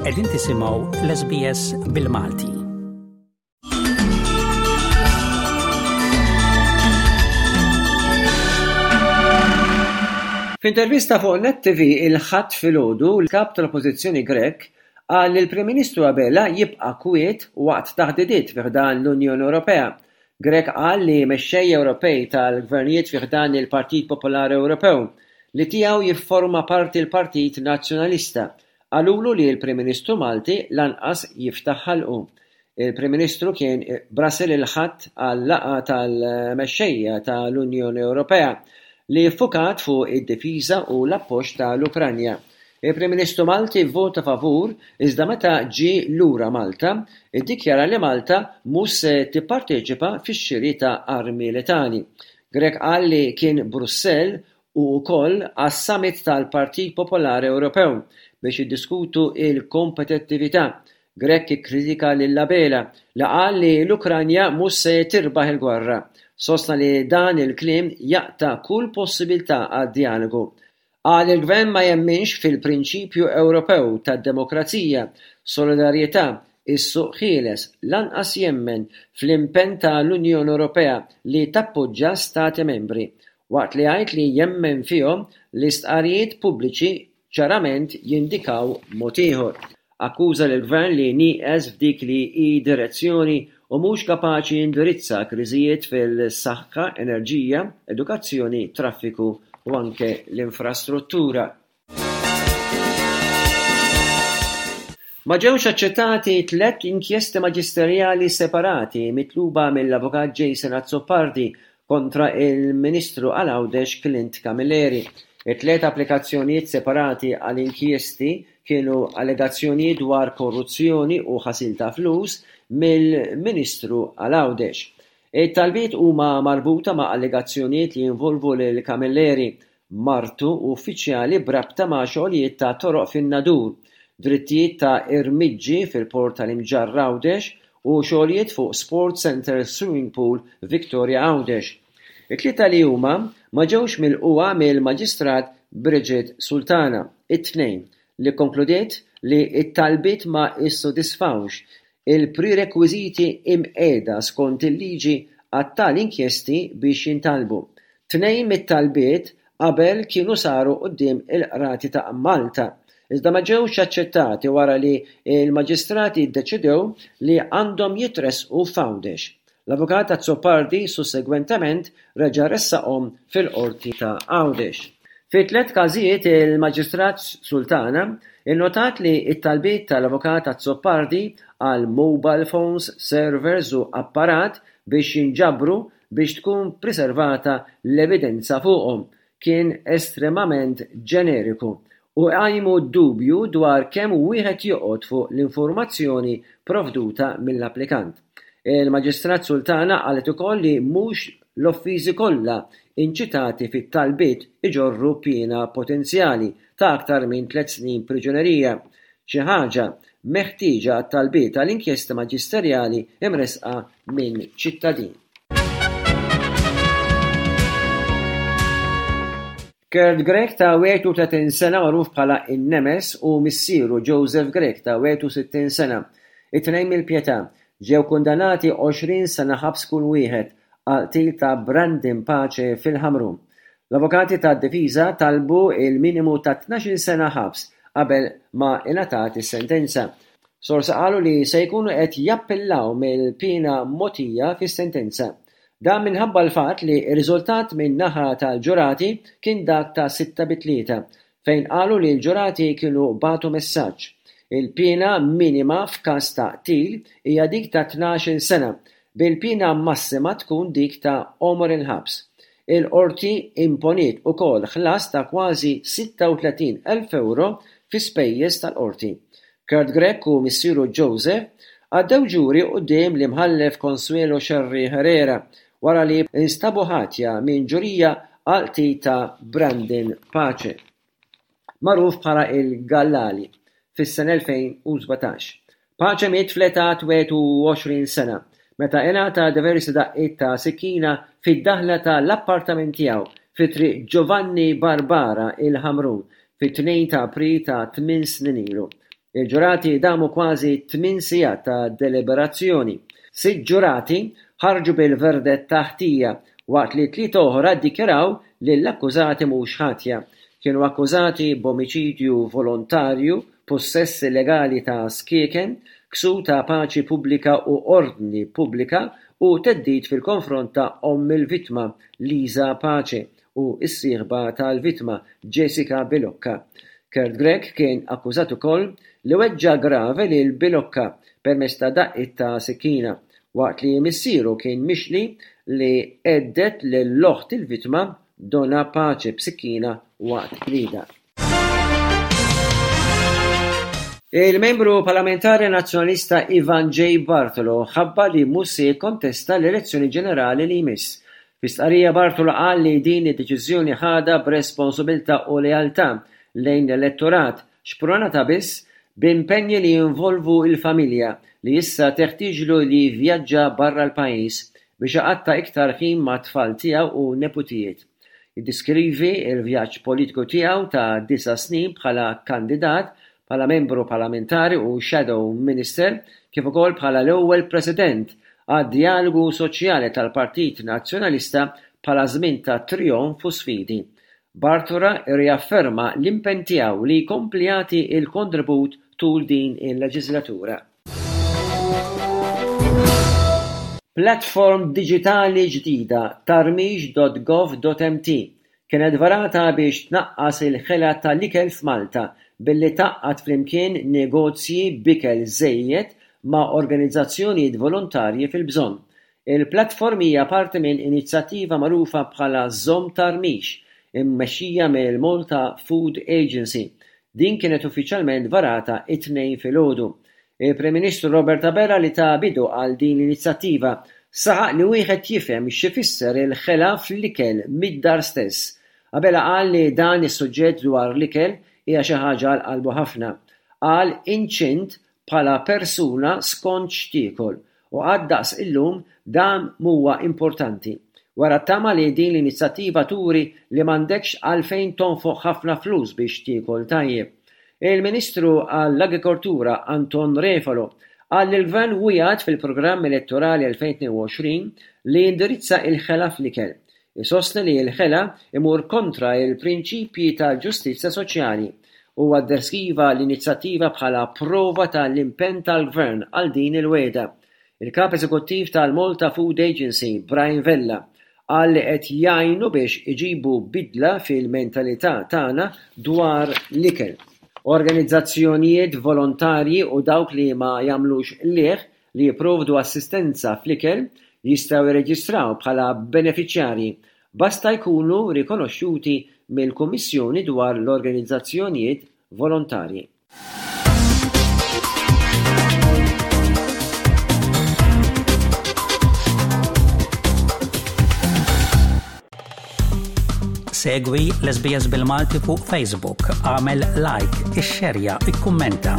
Qegħdin tisimgħu l-SBS bil-Malti. F'intervista fuq Net TV il-Ħadd filgħodu, l-Kap tal-Oppożizzjoni Grech qal li l-Prim Ministru Abela jibqa' kwiet waqt taħdidiet fi ħdan l-Unjoni Ewropea. Grech qal li mexxejja Ewropej tal-gvernijiet fi ħdan il-Partit Popolari Ewropew, li tiegħu jifforma parti l-Partit Nazzjonalista, Qalulu li l-Prim Ministru Malti lanqas jiftaħ ħalqu. Il-Prim Ministru kien Brussel il-Ħadd għal-laqgħa tal-mexxejja ta' l-Unjoni Ewropea li ffukat fuq id-difiża u l-appoġġ ta' l-Ukranja. Il-Prim Ministru Malti vvota favur iżda meta ġie lura Malta iddikjara li Malta mhux se tipparteċipa fix-xiri ta' armi letali. Grech qal li kien Brussell u wkoll għas-Summit tal-Partit Popolari Ewropew biex jiddiskutu l-kompetittività. Grech ikkritika lil Abela li qal li l-Ukranja mhux se tirbaħ il-gwerra. Sostna li dan il-kliem jaqta' kull possibilità għad-djalogu. Qal li l-Gvern ma jemminx fil-prinċipju Ewropew tad-demokrazija, solidarjetà, is-suq ħieles, lanqas jemmen fl-impenn ta' l-Unjoni Ewropea li tappoġġa Stati Membri. Waqt li jgħid li jemmen fihom, l-istqarrijiet pubbliċi ċarament jindikaw mod ieħor. Akkuża lill-Gvern li nieqes f'dik li hi direzzjoni u mhux kapaċi jindirizza kriżijiet fil-saħħa, enerġija, edukazzjoni, traffiku u anke l-infrastruttura. Ma ġewx aċċettati tlett inkjesti maġisterjali separati mitluba mill-Avukat Jason Azzopardi kontra il-Ministru għal Għawdex Clint Camilleri. It-tliet applikazzjonijiet separati għal inkjesti kienu allegazzjonijiet dwar korruzzjoni u ħasil ta' flus mill-Ministru għal Għawdex. It-talbiet huma marbuta ma' allegazzjonijiet li jinvolvu lil Camilleri, martu u uffiċjali b'rabta ma' xogħlijiet ta' toroq fin-Nadur, drittijiet ta' irmiġġi fil-Port tal-Imġarr Għawdex u xogħlijiet fuq Sports Centre Swimming Pool Victoria Għawdex. It-tlieta li huma ma ġewx milqugħa mill-Maġistrat Bridget Sultana, it-Tnejn, li kkonkludiet li t-talbiet ma ssodisfawx il-prerekwiżiti imqiegħda skont il-liġi għat-tali inkjesti biex jintalbu. Tnejn mit-talbiet qabel kienu saru quddiem il-Qrati ta' Malta, iżda ma ġewx aċċettati wara li l-Maġistrati ddeċidew li għandhom jitressqu f'Għawdex. L-Avukat Azzopardi sussegwentement reġa' ressaqhom fil-Qorti ta' Għawdex. Fi tlett każijiet il-Maġistrat Sultana nnotat li t-talbiet tal-Avukat Azzopardi għal mobile phones, servers u apparat biex jinġabru biex tkun priservata l-evidenza fuqhom kien estremament ġeneriku u jqajmu dubju dwar kemm wieħed joqgħod fuq l-informazzjoni provduta mill-applikant. Il-Maġistrat Sultana qalet ukoll li mhux l-offiżi kollha inċitati fit-talbiet iġorru piena potenzjali ta' aktar minn tlett snin priġunerija, xi ħaġa meħtieġa għat-talbiet għal inkjesta maġisterjali mressqa minn ċittadin. Kurt Grech ta' 31 sena magħruf bħala In-Nemes u missieru Joseph Grech ta' 61 sena, it-tnejn mill-Pietà, ġew kundannati 20 sena ħabs kull wieħed għall-qtil ta' Brandon Pace fil-Ħamrun. L-avukati tad-difiża talbu l-minimu ta' 12-il sena ħabs qabel ma ingħatat is-sentenza. Sorsi qalu li se jkunu qed jappillaw mill-piena mogħtija fis-sentenza. Dan minħabba l-fatt li r-riżultat minn naħa tal-ġurati kien dak ta' sitta bi tlieta, fejn qalu li l-ġurati kienu bagħtu messaġġ. Il-piena minima f'każ ta' qtil hija dik ta' 12-il sena, bil-piena massima tkun dik ta' għomor il-ħabs. Il-Qorti imponiet ukoll ħlas ta' kważi 36,000 ewro fi spejjeż tal-Qorti. Kurt Grech u missieru Joseph għaddew ġuri quddiem l-Imħallef Consuelo Scerri Herrera wara li nstabu ħatja minn ġurija għall-qtil ta' Brandon Pace, magħruf bħala il-Gallali, fis-sena 2017. Pace miet fl-età 21 sena meta ingħata diversi daqqiet ta' sikkina fid-daħla ta' l-appartament tiegħu fi Triq Giovanni Barbara il-Ħamrun fit-2 ta' April ta' tmien snin ilu. Il-ġurati damu kważi tmin sigħat ta' deliberazzjoni. Sitt ġurati ħarġu bil-verdett ta' ħtija waqt li tlieta oħra ddikjaraw lill-akkużati mhux ħatja. Kienu akkużati b'omiċidju volontarju, pussess illegali ta' skieken, ksur ta' paċi pubblika u ordni pubblika u theddid fil-konfront ta' omm il-vittma, Lisa Pace, u s-sieħba tal-vittma, Jessica Bilocca. Kurt Grech kien akkużat ukoll li weġġa' grave lil Bilocca permezz ta' daqqiet ta' sikkina, waqt li missieru kien mixli li hedded lil oħt il-vittma, Donna Pace b'sikkina waqt ġlieda. Il-Membru Parlamentari Nazzjonalista Ivan J. Bartolo ħabbar li mhux se jikkontesta l-elezzjoni ġenerali li jmiss. Fi stqarrija Bartolo qal li din id-deċiżjoni ħadha b'responsabiltà u lealtà lejn l-elettorat xprunata biss b'impenji li jinvolvu l-familja li issa teħtieġlu li jivvjaġġa barra l-pajjiż biex iqatta' iktar ħin mat-tfal tiegħu u neputijiet. Jiddeskrivi l-vjaġġ politiku tiegħu ta' disa' snin bħala kandidat, bħala Membru Parlamentari u Shadow Minister, kif ukoll bħala l-ewwel President għad-Djalogu Soċjali tal-Partit Nazzjonalista bħala żmien ta' trijonf u sfidi. Bartola rriafferma l-impenn tiegħu li jkompli jagħti l-kontribut tul din il-leġiżlatura. Platform diġitali ġdida, tarmix.gov.mt, kienet varata biex tnaqqas il-ħela tal-ikel f'Malta billi tgħaqqad flimkien negozji b'ikel żejjed ma' organizzazzjonijiet volontarji fil-bżonn. Il-platform hija parti minn inizjattiva magħrufa bħala Żomm Tarmix, immexxija mill-Malta Food Agency Din kienet uffiċjalment varata t-Tnejn filgħodu. Il-Prim Ministru Robert Abela li ta bidu għal din l-inizjattiva saħaq li wieħed jifhem x'ifisser il-ħela fl-ikel mid-dar stess. Abela qal li dan is-suġġett dwar l-ikel hija xi ħaġa għal qalbu ħafna. Qal inċint bħala persuna skont x'tiekol u qatt daqs illum dan m'huwa importanti. Wera t-tama li din l-inizjattiva turi li m'għandekx għalfejn tonfoq ħafna flus biex tiekol tajjeb. Il-Ministru għall-Agrikoltura Anton Refalo qal li l-Gvern wiegħed fil-programm elettorali 2022 li jindirizza il-ħela fl-ikel. Isostni li l-ħela imur kontra l-prinċipji tal-ġustizzja soċjali. Huwa ddeskriva l-inizjattiva bħala prova ta' l-impenn tal-Gvern għal din il-wegħda. Il-Kap Eżekuttiv tal-Malta Food Agency, Brian Vella, qal li qed jgħinu biex iġibu bidla fil-mentalità tagħna dwar l-ikel. Organizzazzjonijiet volontarji u dawk li ma jagħmlux qligħ li jipprovdu assistenza fl-ikel jistgħu jirreġistraw bħala benefiċjarji, basta jkunu rikonoxxuti mill-Kummissjoni dwar l-Organizzazzjonijiet Volontarji. Segwi l-SBS bil-Malti fuq Facebook, għamel like, ixxerja, ikkummenta.